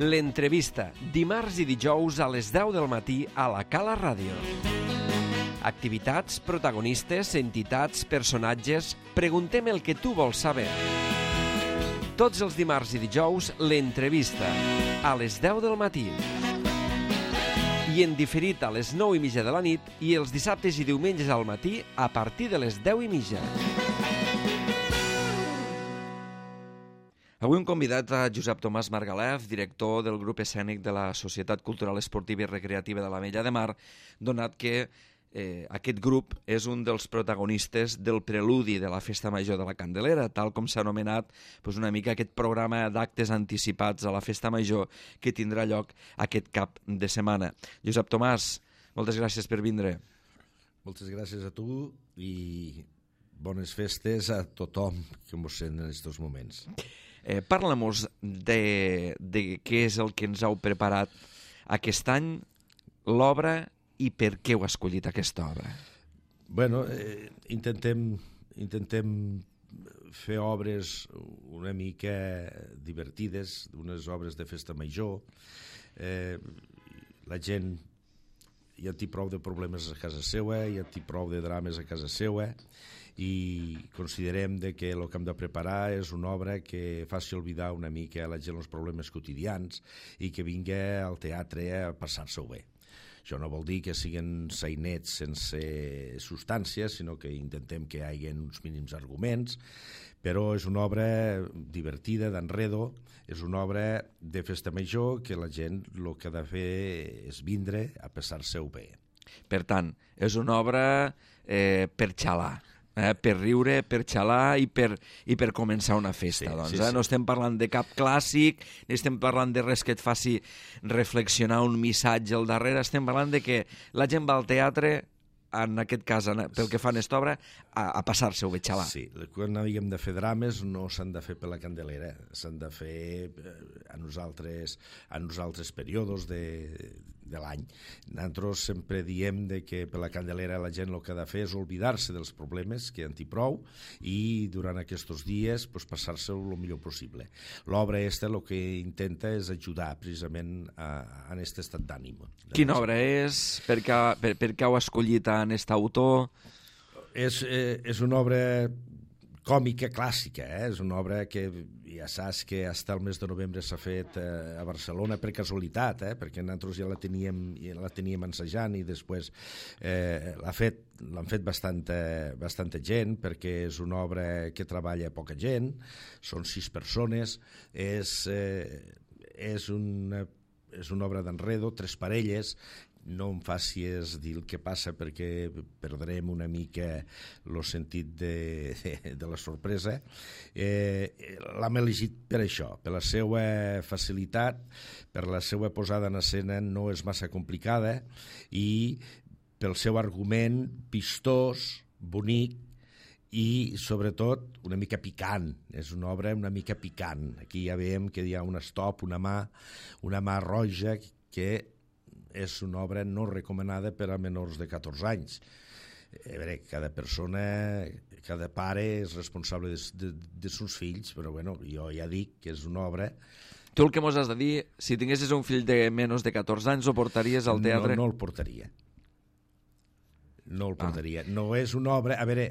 L'entrevista, dimarts i dijous a les 10 del matí a la Cala Ràdio. Activitats, protagonistes, entitats, personatges... Preguntem el que tu vols saber. Tots els dimarts i dijous, l'entrevista, a les 10 del matí. I en diferit a les 9:30 de la nit i els dissabtes i diumenges al matí a partir de les 10:30. Avui hem convidat a Josep Tomàs Margalef, director del grup escènic de la Societat Cultural Esportiva i Recreativa de l'Ametlla de Mar, donat que aquest grup és un dels protagonistes del preludi de la Festa Major de la Candelera, tal com s'ha anomenat una mica aquest programa d'actes anticipats a la Festa Major que tindrà lloc aquest cap de setmana. Josep Tomàs, moltes gràcies per vindre. Moltes gràcies a tu i bones festes a tothom que mos sent en aquests moments. Parla-mos de què és el que ens heu preparat aquest any, l'obra, i per què heu escollit aquesta obra? Bueno, intentem fer obres una mica divertides, unes obres de festa major. La gent ja té prou de problemes a casa seva, ja té prou de drames a casa seva, i considerem que el que hem de preparar és una obra que faci oblidar una mica a la gent els problemes quotidians i que vingui al teatre a passar-se-ho bé. Això no vol dir que siguin sainets sense substància, sinó que intentem que hi hagi uns mínims arguments, però és una obra divertida, d'enredo, és una obra de festa major que la gent el que ha de fer és vindre a passar-se-ho bé. Per tant, és una obra per xalar. Per riure, per xalar i per començar una festa. Sí. No estem parlant de cap clàssic, ni estem parlant de res que et faci reflexionar un missatge al darrere, estem parlant de que la gent va al teatre, en aquest cas, pel que fa a aquesta obra, a passar-se-ho bé, xalar. Sí, quan havíem de fer drames no s'han de fer per la Candelera, s'han de fer a nosaltres períodes de l'any. Nosaltres sempre diem que per la Candelera la gent el que ha de fer és oblidar-se dels problemes, que en té prou, i durant aquests dies passar-se el millor possible. L'obra aquesta el que intenta és ajudar precisament en aquest estat d'ànim. Quina obra és? Per què heu escollit en aquest autor? És una obra còmica clàssica, és una obra que ja saps que fins al mes de novembre s'ha fet a Barcelona per casualitat, perquè nosaltres ja la teníem ensajant i després l'han fet bastanta gent, perquè és una obra que treballa poca gent, són 6 persones, és una obra d'enredo, 3 parelles. No em facis dir el que passa perquè perdrem una mica el sentit de la sorpresa. L'hem elegit per això, per la seva facilitat, per la seva posada en escena no és massa complicada i pel seu argument vistós, bonic i sobretot una mica picant. És una obra una mica picant. Aquí ja veiem que hi ha un stop, una mà roja que és una obra no recomanada per a menors de 14 anys. A veure, cada persona, cada pare és responsable de seus fills, però bueno, jo ja dic que és una obra... Tu el que mos has de dir, si tinguessis un fill de menys de 14 anys, ho portaries al teatre? No el portaria. No el portaria. No és una obra... A veure...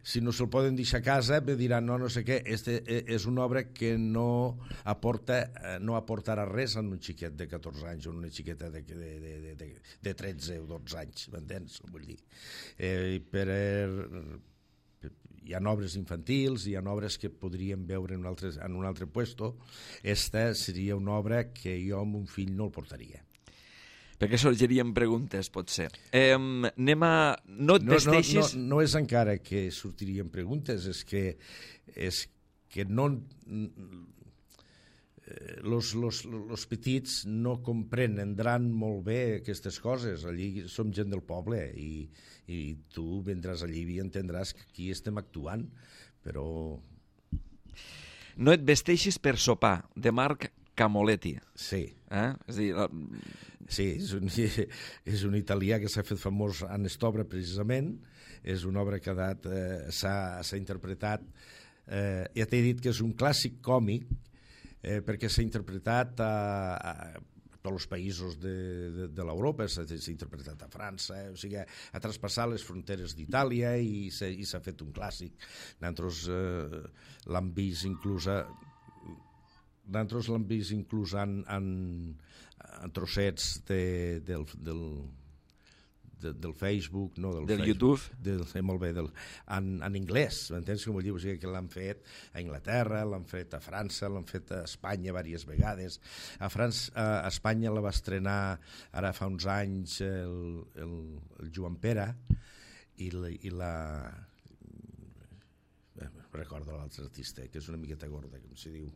si no se'l poden deixar a casa diran no sé què, és una obra que no aportarà res a un xiquet de 14 anys o una xiqueta de 13 o 12 anys, m'entens? Vull dir, hi ha obres infantils, hi ha obres que podríem veure en un altre puesto. Esta seria una obra que jo amb un fill no el portaria. Perquè sorgiríem preguntes, potser. No et vesteixis... No és encara que sortirien preguntes, és que no... Los petits no comprendran molt bé aquestes coses. Allí som gent del poble i tu vendràs allí i entendràs que aquí estem actuant, però... No et vesteixis per sopar, de Marc Camoletti. Sí. És a dir... Sí, és un italià que s'ha fet famós en aquesta obra precisament, és una obra que s'ha interpretat, ja t'he dit que és un clàssic còmic perquè s'ha interpretat a tots els països de l'Europa, s'ha interpretat a França, o sigui, ha traspassat les fronteres d'Itàlia i s'ha fet un clàssic. Nosaltres l'hem vist inclús en trossets del Facebook, no, del Facebook, YouTube, molt bé, en anglès, m'entens com vull dir? O sigui, que l'han fet a Anglaterra, l'han fet a França, l'han fet a Espanya diverses vegades. A Espanya la va estrenar ara fa uns anys el Joan Pera i recordo l'altre artista, que és una miqueta gorda, com s'hi diu,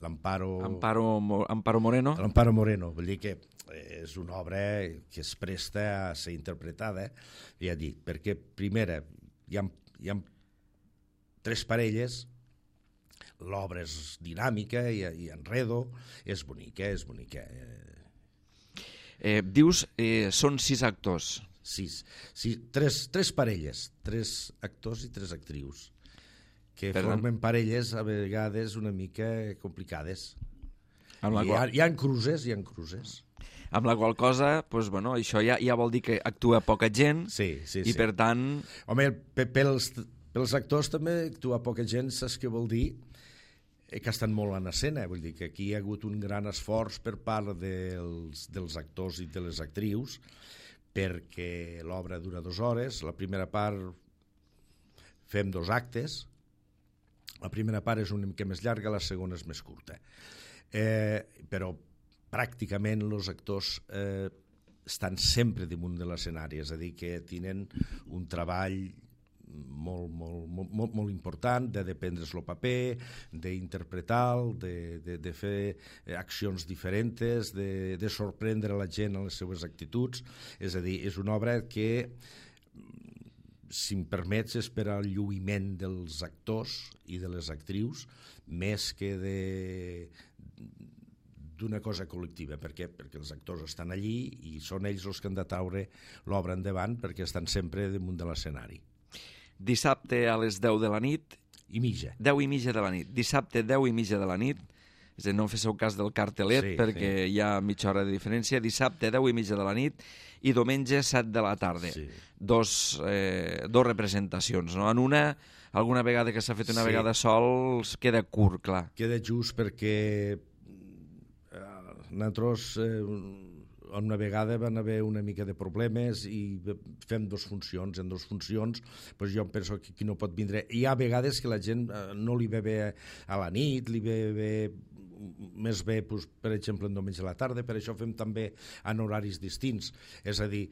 Amparo Moreno. L'Amparo Moreno, vull dir que és una obra que es presta a ser interpretada, ja dic, perquè primera hi ha 3 parelles, l'obra és dinàmica i enredo, és bonica. Dius, són 6 actors. 3 parelles, 3 actors i 3 actrius, que formen parelles a vegades una mica complicades. Hi ha cruces. Amb la qual cosa, doncs, bueno, això ja vol dir que actua poca gent i per tant... Home, pels actors també actua poca gent, saps què vol dir? Que estan molt en escena, vull dir que aquí hi ha hagut un gran esforç per part dels actors i de les actrius, perquè l'obra dura 2 hores, la primera part fem 2 actes, la primera part és una mica més llarga, la segona és més curta. Però pràcticament els actors estan sempre damunt de l'escenari, és a dir, que tenen un treball molt important de prendre's el paper, d'interpretar-lo, de fer accions diferents, de sorprendre la gent en les seves actituds. És a dir, és una obra que, si em permets, és per al lluïment dels actors i de les actrius, més que d'una cosa col·lectiva. Per què? Perquè els actors estan allí i són ells els que han de treure l'obra endavant, perquè estan sempre damunt de l'escenari. Dissabte a les 10 de la nit. 10:30. 10:30 de la nit. Dissabte 10:30 de la nit. És a dir, no feu cas del cartelet, perquè hi ha mitja hora de diferència. Dissabte 10:30 de la nit i diumenge 7 de la tarda. Sí. Dos representacions, no? En una, alguna vegada que s'ha fet una vegada sol, queda curt, clar. Queda just perquè nosaltres una vegada van haver una mica de problemes i fem 2 funcions. En 2 funcions doncs jo penso que aquí no pot vindre. Hi ha vegades que la gent no li ve bé a la nit, li ve més bé, doncs, per exemple, en diumenge a la tarda, per això fem també en horaris distints. És a dir,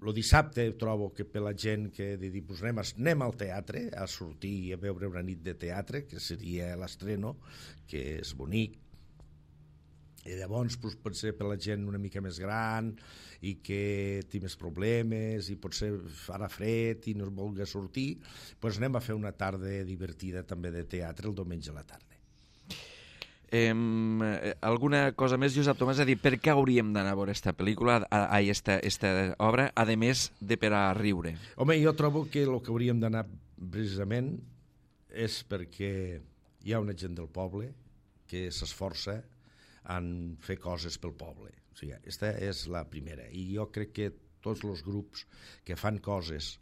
el dissabte trobo que per la gent que dir, doncs anem al teatre, a sortir i a veure una nit de teatre, que seria l'estreno, que és bonic. I llavors doncs, pot ser per la gent una mica més gran i que té més problemes i potser farà fred i no es vulgui sortir, doncs anem a fer una tarda divertida també de teatre el diumenge a la tarda. Alguna cosa més, Josep Tomàs? És a dir, per què hauríem d'anar a veure aquesta pel·lícula, aquesta obra, a més de per a riure? Home, jo trobo que el que hauríem d'anar precisament és perquè hi ha una gent del poble que s'esforça en fer coses pel poble. O sigui, aquesta és la primera. I jo crec que tots els grups que fan coses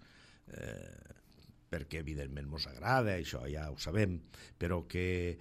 perquè evidentment ens agrada, això ja ho sabem, però que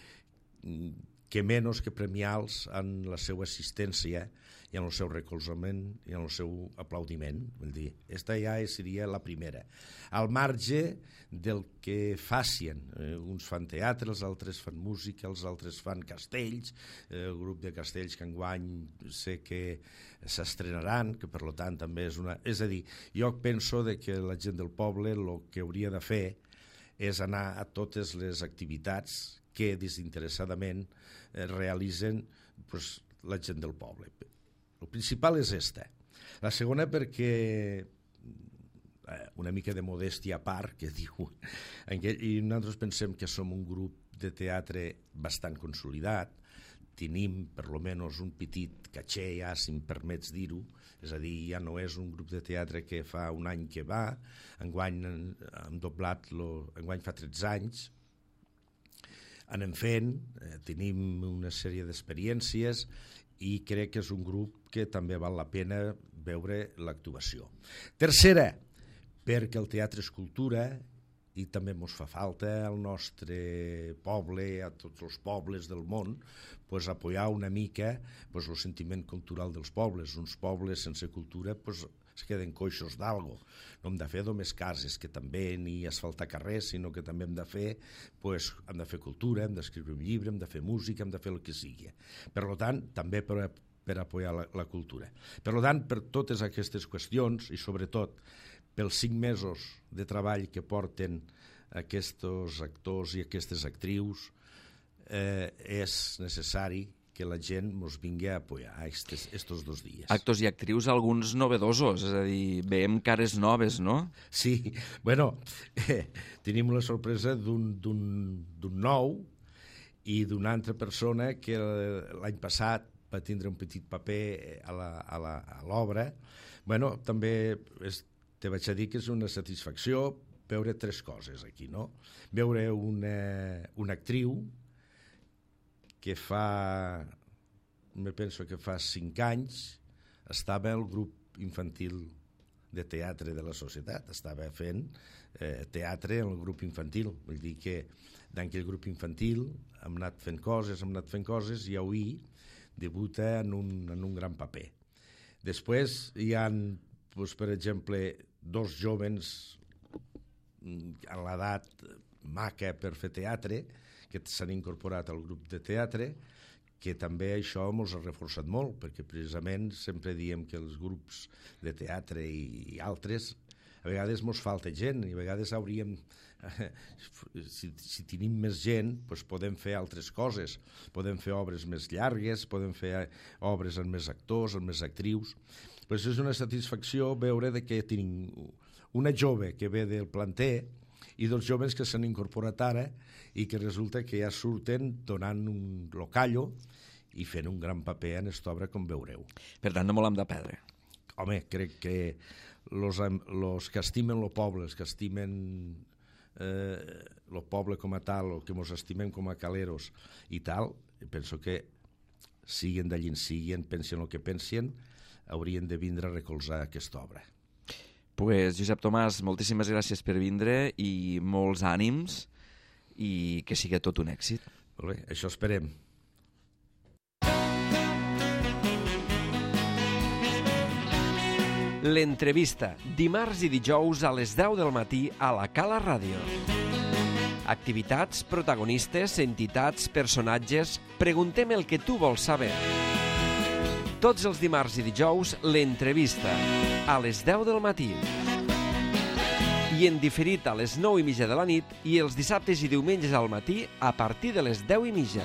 menys que premiar-los en la seva assistència i en el seu recolzament i en el seu aplaudiment. Vull dir, aquesta ja seria la primera. Al marge del que facin. Uns fan teatre, els altres fan música, els altres fan castells, el grup de castells que enguany sé que s'estrenaran, que per tant també és una... És a dir, jo penso que la gent del poble el que hauria de fer és anar a totes les activitats que desinteressadament realitzen la gent del poble. El principal és esta. La segona perquè una mica de modèstia a part, que diu, i nosaltres pensem que som un grup de teatre bastant consolidat, tenim per lo menys un petit caché ja, si em permets dir-ho, és a dir, ja no és un grup de teatre que fa un any que va, enguany hem doblat, enguany fa 13 anys, anem fent, tenim una sèrie d'experiències i crec que és un grup que també val la pena veure l'actuació. Tercera, perquè el teatre és cultura i també ens fa falta al nostre poble, a tots els pobles del món, apoyar una mica el sentiment cultural dels pobles. Uns pobles sense cultura es queden coixos d'algo. No hem de fer només cases, que també ni asfaltar carrers, sinó que també hem de fer cultura, hem d'escriure un llibre, hem de fer música, hem de fer el que sigui. Per tant, també per apoyar la cultura. Per tant, per totes aquestes qüestions, i sobretot pels 5 mesos de treball que porten aquests actors i aquestes actrius, és necessari que la gent ens vingui a apoyar estos 2 dies. Actors i actrius, alguns novedosos, és a dir, veiem cares noves, no? Sí, bueno, tenim la sorpresa d'un nou i d'una altra persona que l'any passat va tindre un petit paper a l'obra. Bueno, també te vaig a dir que és una satisfacció veure 3 coses aquí, no? Veure una actriu que me penso que fa 5 anys estava al grup infantil de teatre de la societat, estava fent teatre en el grup infantil, vull dir que en aquell grup infantil hem anat fent coses i avui debuta en un gran paper. Després hi ha, per exemple, 2 jóvens a l'edat maca per fer teatre, que s'han incorporat al grup de teatre, que també això ens ha reforçat molt, perquè precisament sempre diem que els grups de teatre i altres, a vegades ens falta gent, i a vegades hauríem, si tenim més gent, podem fer altres coses, podem fer obres més llargues, podem fer obres amb més actors, amb més actrius. És una satisfacció veure que tenim una jove que ve del planter i 2 joves que s'han incorporat ara i que resulta que ja surten donant un locallo i fent un gran paper en aquesta obra, com veureu. Per tant, no l'hem de perdre. Home, crec que els que estimen el poble, els que estimen el poble com a tal, o que ens estimem com a caleros i tal, penso que siguen d'allí en siguen, pensen el que pensen, haurien de vindre a recolzar aquesta obra. Pues, Josep Tomàs, moltíssimes gràcies per vindre i molts ànims i que sigui tot un èxit. Molt bé, això esperem. L'entrevista, dimarts i dijous a les 10 del matí a la Cala Ràdio. Activitats, protagonistes, entitats, personatges... Preguntem el que tu vols saber. Tots els dimarts i dijous, l'entrevista, a les 10 del matí. I en diferit a les 9:30 de la nit i els dissabtes i diumenges al matí a partir de les 10:30.